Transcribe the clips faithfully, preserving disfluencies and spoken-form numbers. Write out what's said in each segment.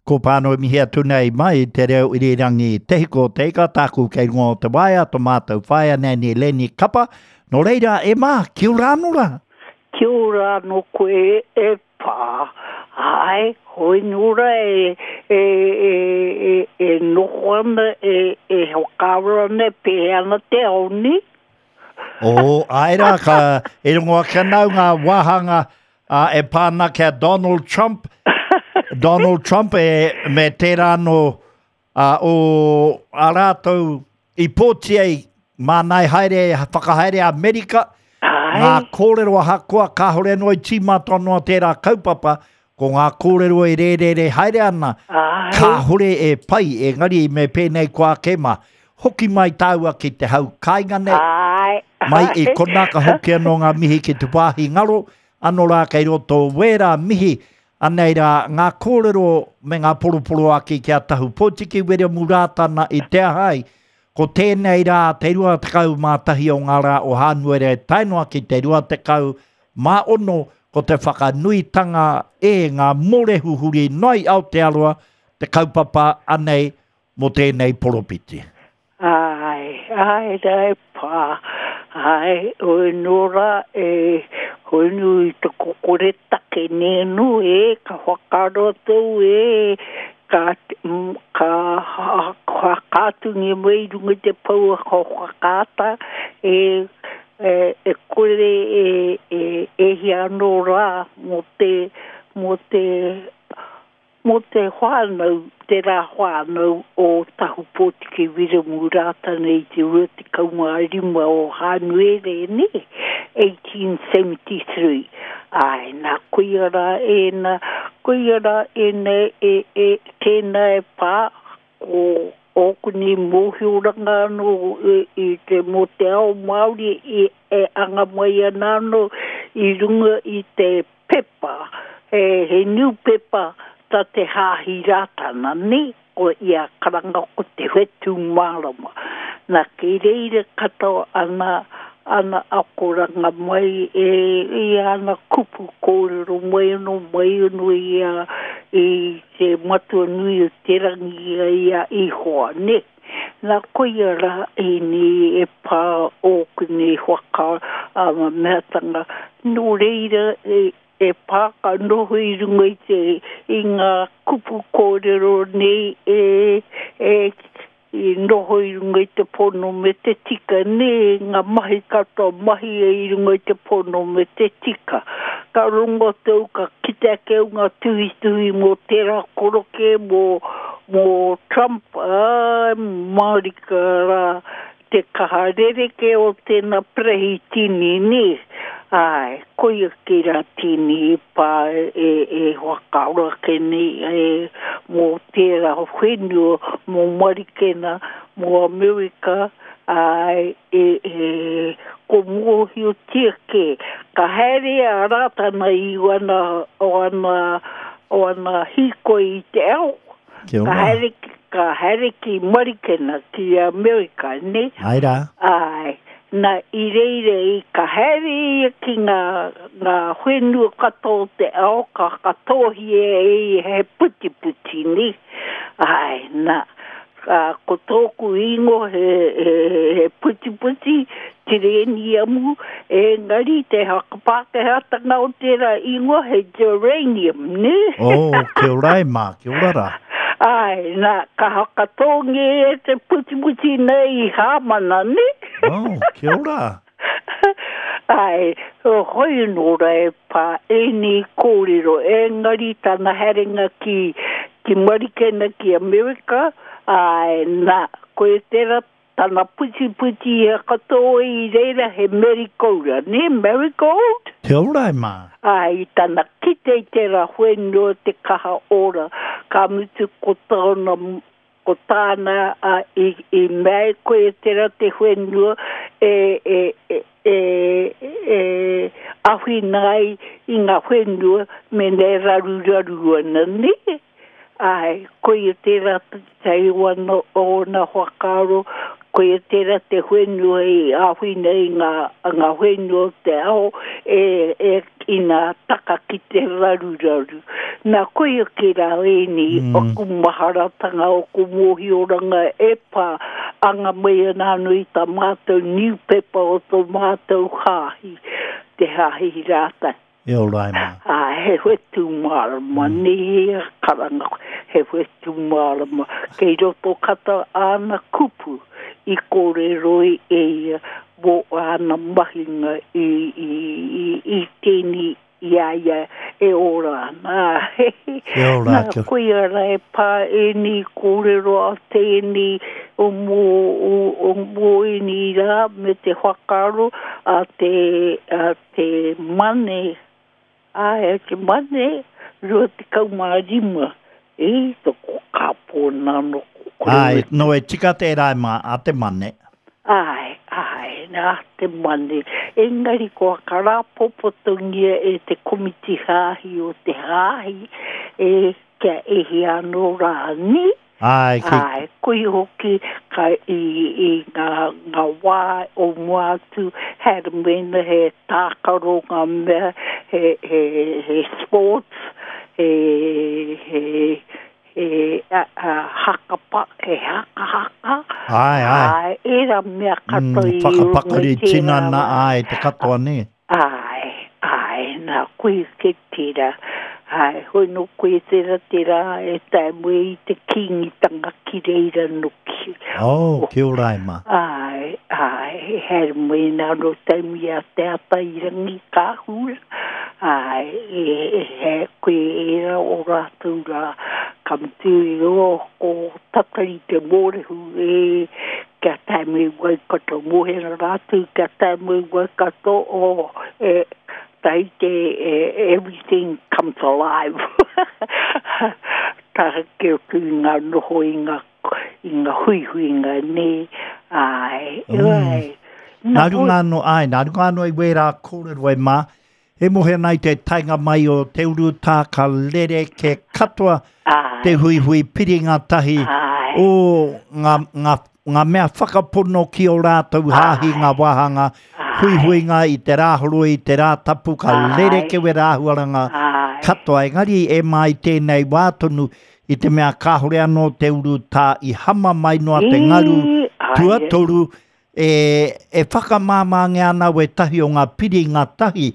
Ko pāno mihi atu nei mai te reo irirangi Te Hiko o Te Ika, tāku kei runga o te waea, to mātou whaea nei Leni Kapa. Nō reira, e mā, kia ora anō rā? Kia ora anō koe e pā. Ai, hoi nō rā e, e, e, e, e noho ana, e, e whakaaro ana, e pēhea ana te ao ni. O, ai rā, ka e rongo ake ana au ngā wāhanga uh, e pā ana ki a Donald Trump. Donald Trump e, me tērā anō uh, o a rātou i pōti ai māna e haere, whakahaere Amerika. Ai. Ngā kōrero ahakoa kāhore anō i tīmata noa tērā kaupapa, ko ngā kōrero e rērere haere ana, Ai. kāhore e pai, engari me pēnei koa ake mā. Hoki mai tāua ki te hau kāinga nei. Ai. Mai i konā ka hoki anō ngā mihi ki te wāhi ngaro, anō rā kei roto wērā mihi, anei rā ngā kōrero me ngā poroporoaki ki a Tahu Pōtiki Wiremu Rātana i te ahai, ko tēnei rā te rua tekau mā tahi o ngā rā o Hānuere tae noa ki te rua tekau mā ono, ko te whakanuitanga e ngā mōrehu huri noa i Aotearoa, te kaupapa anei mō tēnei poropiti. Ai, ai, rā e pā, ai, oi nō rā e, hoi nui i te kokore take nēnu e, ka whakaaro tou e, ka, mm, ka whakaatungi mai i runga i te paua ka whakaata, e, e, e kore e, e, e hia anō rā mō te, mō te, mō te whānau, te rā whānau o Tahu Pōtiki Wiremu Rātana i te rua tekau mā rima o Hānuere, ne? eighteen seventy-three. Ai, nā, koia rā ēnā, koia rā ēnā e, e, tēnā e pā, ko ōku nei mōhioranga anō e, i te mō te ao Māori e, e anga mai ana anō i runga i te pepa, he, he newspaper ta te Hāhi Rātana, ne? Ko ia karanga ko te whetū mārama. Nā, kei reira katoa ana, ana akoranga mai e, i ana kupu kōrero mai anō, mai anō i a, i te matua nui o te rangi i a Ihoa, ne? Nā, koia rā ēnei e pā ōku nei whaka, ama meatanga. Nō reira e, e pā ka noho i runga i te, i ngā kupu kōrero nei e, e, i noho i runga i te pono me te tika, ne, ngā mahi katoa mahi e i runga i te pono me te tika. Ka rongo tau, ka kite ake au ngā tuhituhi mō tērā koroke, mō, mō Trump, ā, mārika rā, te kaha rereke o tēnā prehitini, ne. Ai, koia ki rā tini i pā e, e, e whakaaro ake nei, e, mō tērā whenua, mō Marikena, mō Amerika, ai, e, e, ko mōhiotia ke. Ka haere a Rātana i wana, o ana, o ana hīkoi i te ao. Kia Ka ora. haere ki, ka haere ki Marikena, ki Amerika, ne? Ai rā. Ai, nā, i reira i ka haere ia ki ngā, ngā whenua katoa o te ao, ka katohia e ia he putiputi, ne? Ai, nā, ka, ko tōku ingoa he, he, he putiputi, tireniamu, engari te whakapākehātanga o tērā ingoa he geranium, ne? Oh, kia ora e mā, kia ora rā. Ai, nā, ka hakatōngia e te putiputi nei i Hāmana, ne? Oh, kia ora. Ai, hoi nō rā e pā ēnei kōrero, engari tana haerenga ki, ki Marikena ki Amerika, ai, nā, koe tērā tana putiputi i katoa i reira he marigold, ne, marigold? Kia ora e mā. Ai, tana kite i tērā whenua te kaha ora, ka mutu ko tāna, ko tāna, a, i, i mea koe tērā te whenua e, e, e, e, e awhina ai i ngā whenua me nei raruraru ana, ne? Ai, koia tērā te wana o na whakaaro, Koia tērā te whenua i āwhina i ngā, ngā whenua o te ao e, e ina taka ki te raruraru. Nā koia ki rā ēni mm. Oku maharatanga, oku mōhioranga e pā anga mai ana anō i tā mātou niupepa o tō mātou hāhi, te hāhi rātai. E ora e mā. Ā, he whetū mārama, mm. Nē a karanga, he whetū mārama. Kei roto kata āna kupu i kōrero i e ia mō āna mahinga i, i, i, i tēni i a ia e ora ana. Kia ora, Nā, kia. Koia rā e pā ēni kōrero a tēni o mō, o, o mō ēni rā me te whakaaro a te, a te mane, ai, a te mane, rua tekau mā rima, e, toko kāpō nāno ko Ai, no e tika tērā e mā, a te mane. Ai, ai, nā te mane. Engari ko akarāpopotongia e te komiti hāhi o te hāhi, e kia ehi anō rā ni. Ai, ki, Ai, koe hoki ka i, i ngā, ngā wā o mua atu, haere mena he tākaro ngā mea, he, he, he sports, he, he, he a, a, hakapa, he hakahaka. ai, ai. Ai, era mea katoa Mm, i whakapakari runga i tērā tinana, wā. ai, te katoa ne. Ai, ai, nā koe ke tērā. Ai, hoi no koe tērā tērā e tae mue i te kīngitanga ki reira noki. Oh, kia ora e mā. Ai, ai, haere mai nā no tae mui a te ata i rangi kāhura. Ai, e, e, he koe era o rātou rā. Ka mutu i o ko tatari te mōrehu e kia tae mai Waikato mōhera rātou, kia tae mai Waikato o e, tai te e, everything comes alive. Taha ke oku i ngā noho i ngā, i ngā huihuinga ne. Ai, Mm. ai. Nā runga anō, ai, nā runga anō i wērā kōrero e mā, e mohe ana i te taenga mai o Te Urutā ka rere ke katoa Ai, te huihui piringa tahi ai, o ngā, ngā, ngā mea whakapono ki o rātou hāhi ngā wāhanga huihuinga i te rāhoroi, i te rā tapu, ka Ai. rere ke wera āhuaranga ai. katoa. Engari e mai tēnei wā tonu i te mea kāhore anō Te Urutā i hama mai noa te ngaru I, ai, tuatoru e, e whakamāmāngia ana wētahi o ngā piringa tahi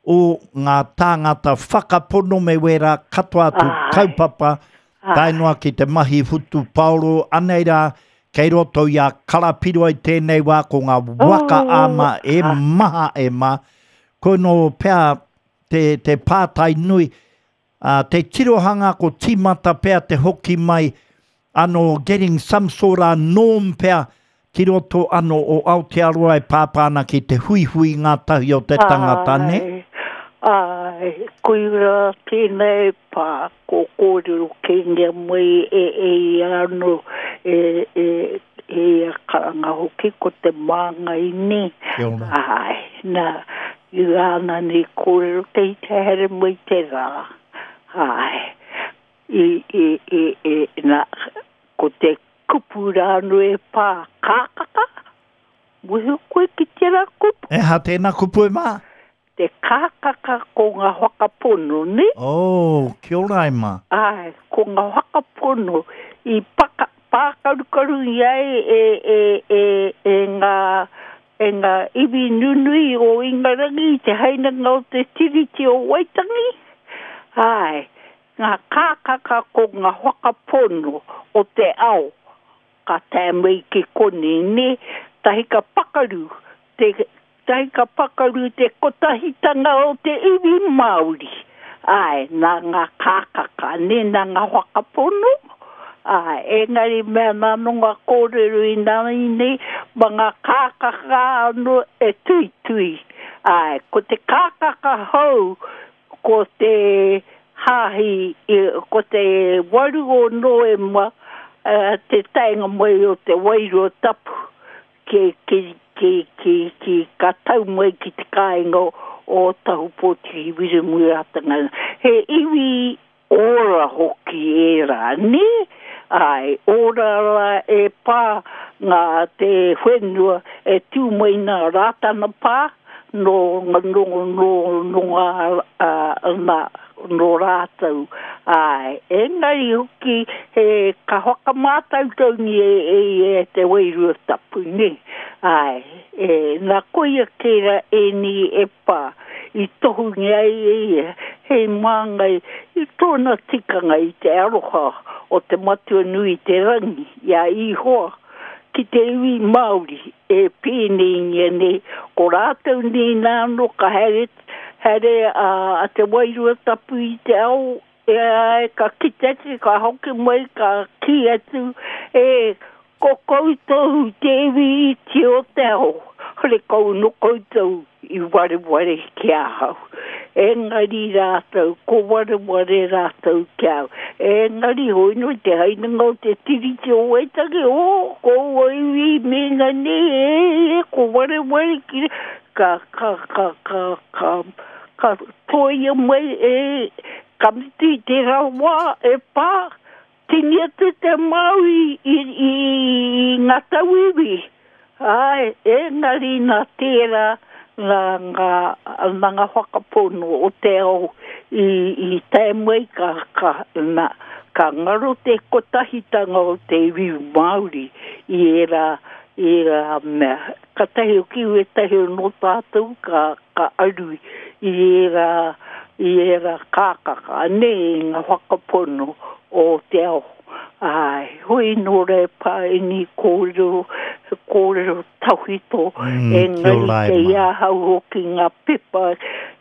o ngā tāngata whakapono me wērā katoa atu Ai. kaupapa tae noa ki te mahi whutupaoro anei rā kei roto i a Karapiro i tēnei wā ko ngā waka Oh, ama e ah. maha e mā. Ko no pea te, te pātai nui, uh, te tirohanga ko tīmata pea te hoki mai anō getting some sort of norm pea ki roto anō o Aotearoa e pāpā ana ki te huihui ngā tahi o te tangata, ne? Ai, ai, koira tēnei pā, ko kōrero kēngia mai e e anō, e, e, e a karanga hoki ko te māngai ne. Kia ora. Ai, nā, i āna ni kōrero kei te here mai te rā. Ai, i, i, i, i, nā, ko te kupu rānu e pā kākaka, Muhi koe ki tērā kupu. E ha tēnā kupu e mā? Te kākaka ko ngā whakapono, ne? Oh, kia ora e mā. Ai, ko ngā whakapono i paka, pākarukaru i ai e, e, e, e ngā, e ngā iwi nunui o Ingarangi i te hainanga o te Tiriti o Waitangi. Ai, ngā kākaka ko ngā whakapono o te ao ka tae mai ki konei, ne? Tahi ka pakaru te, tahi ka pakaru te kotahitanga o te iwi Māori. Ai, nā ngā kākaka, ne, nā ngā whakapono. Ai, engari mea nā no ngā kōrero i nā nei, ma ngā kākaka anō e tuitui. Ai, ko te kākaka hou, ko te hāhi, ko te waru o Noema, uh, te taenga mai o te wairua tapu, ki, ki, ki, ki, ki, ka tau mai ki te kāinga o, o Tahupōtiki Wiremu Rātana. He iwi ora hoki e rā, ne? Ai, ora rā e pā ngā te whenua e tū mai nā Rātana Pā no, no, no, no ngā uh, nā, no rātou. Ai, engari hoki he ka whakamātautaungi e, e, e te Wairua Tapu, ne? Ai, e, nā koia kēra ēni e pā i tohungi ai e ia, hei māngai i tōna tikanga i te aroha o te Matua Nui te Rangi, i a Ihoa, ki te iwi Māori e pēneingia nei, ko rātou nei nāno ka haere, haere a, a te Wairua Tapu i te ao, e, ai, ka kite atu, ka hoki mai, ka ki atu, e, ko koutou te iwi iti o te ao, hore kau no koutou i wareware ki ahau. Engari rātou, ko wareware rātou ki au. Engari hoi no te hainanga o te Tiriti o Waitangi, o, ko iwi me ngā nei, e, e, ko wareware ki, ka, ka, ka, ka, ka, ka toia mai e, ka mutu i te rawa e pā, tini atu te Māori i, i, i ngā tauiwi. Ai, engari nā tērā, nā ngā, nā ngā whakapono o te ao i, i tae mai ka, ka, nā, ka ngaro te kotahitanga o te iwi Māori i era, i era mea. Ka tahi o ki wetahi o no tātou ka, ka aru i era, i era kākaka, ane i ngā whakapono o te ao. Ai, hoi nō re pā ini kōrero, kōrero tawhito, Mm, engari kia ora e kei mā. ahau hoki ngā pepa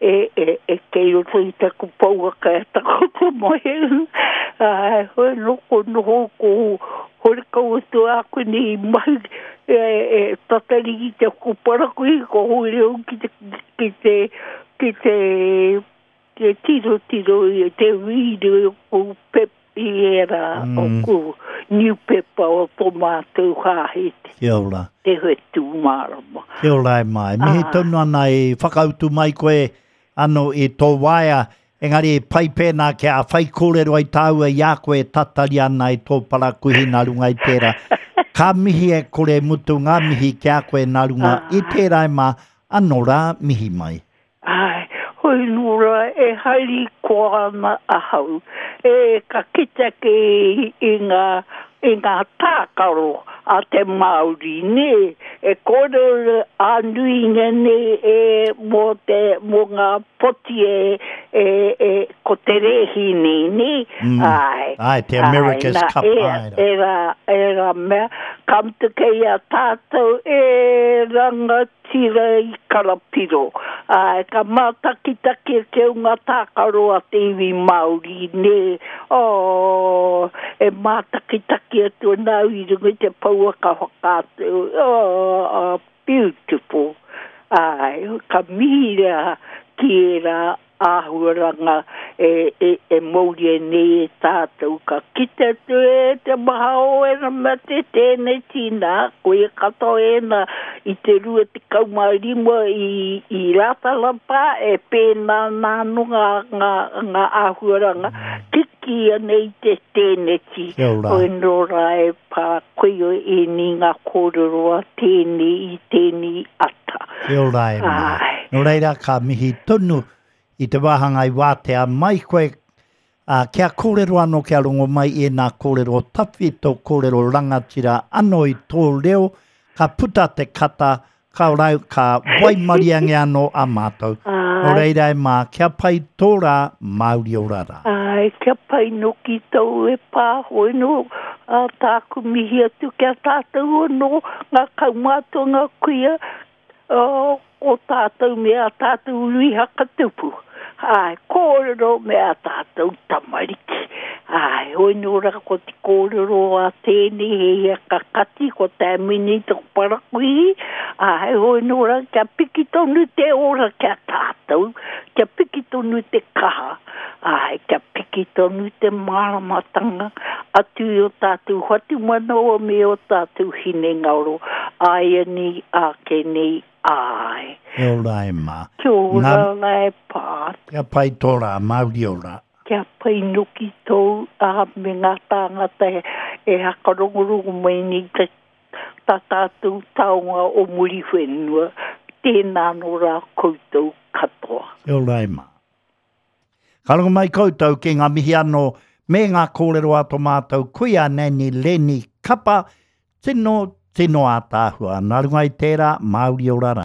e, e, e kei roto i taku pouaka e takoto mai. Ai, hoi nō ko noho ko hore kau atu aku nei mahi e, e tatari ki te kuparakui, ko hoi reo ki te, ki te, ki te, te tiro tiro i te wīre o pep i era Mm. o ku new pepa o tō mātou hāhi te, Kia ora. te whetū mārama. Kia ora e mai. Mihi Ah. tonu ana i whakautu mai koe ano i tō waea, engari pai pēnā kia whai kōrero ai tāua i a koe tatari ana i tō parakuihi nā runga i tērā. Ka mihi e kore mutu ngā mihi ki a koe nā runga i tērā e mā, anō rā mihi mai. Ai, hoi nō rā e haere koa ana ahau. E ka kite ake i, i ngā, i ngā tākaro a te Māori, nē. E kōrero a nuinga nei e mō te, mō ngā poti e, e, e, ko te rēhi nei, nē. Mm. Ai. Ai, te America's Ai, nā, Cup, e, ai rā. e rā, e rā mea, ka mutu kei a tātou e rangatira i Karapiro. Ai, ka mātakitaki ake o ngā tākaro a te iwi Māori, nē. Oh, e mātakitaki atu ana au i runga i te pouaka whakaatu. Oh, oh, beautiful. Ai, ka mihi rā ki era āhuaranga e, e, e mauri e nei e tātou. Ka kite atu e te maha o ena mea te tēnei tīnā, koe katoa ena i te rua te kaumā rima i, i Rātana Pā e pēnā nāno ngā, ngā, ngā āhuaranga. Kiki ana i te tēneti. Kia ora. Hoi nō rā e pā koe o ēni ngā kōrero a tēnei i tēnei ata. Kia ora e mā. Ai. Nō reira ka mihi tonu i te wāhanga i wātea mai koe, ā, kia kōrero anō kia rongo mai i nā kōrero tawhito, kōrero rangatira anō i tō reo, ka puta te kata, ka rau, ka waimariange anō a mātou. Nō Ai. reira e mā, kia pai tō rā, Māori ora rā. Ai, kia pai noki tau e pā, hoi no, a tāku mihi atu kia tātou anō, ngā kaumātua ngā kuia, o, o tātou me a tātou uri hakatupu. Ai, kōrero me a tātou tamariki. Ai, hoi nō rā ko te kōrero a tēnei he ia kakati, ko tā mini tō parakuihi. Ai, hoi nō rā kia piki tonu te ora kia tātou, kia piki tonu te kaha. Ai, kia piki tonu te māramatanga atu i o tātou whatumanawa me o tātou hinengaro. Ai ani, ake nei, ai. Kia ora e mā. Kia ora Ngā- rā e pā. Kia pai tō rā, Māori ora. Kia pai noki tōu, a me ngā tāngata e, e hakarongorongo mai nei te tā tātou taonga o Muriwhenua. Tēnā nō rā koutou katoa. Kia ora e mā. Ka rongo mai koutou ki ngā mihi anō me ngā kōrero a tō mātou kuia Nanny Lenny Kapa, tino, tino ātaahua. Nā runga i tērā, Māori ora rā.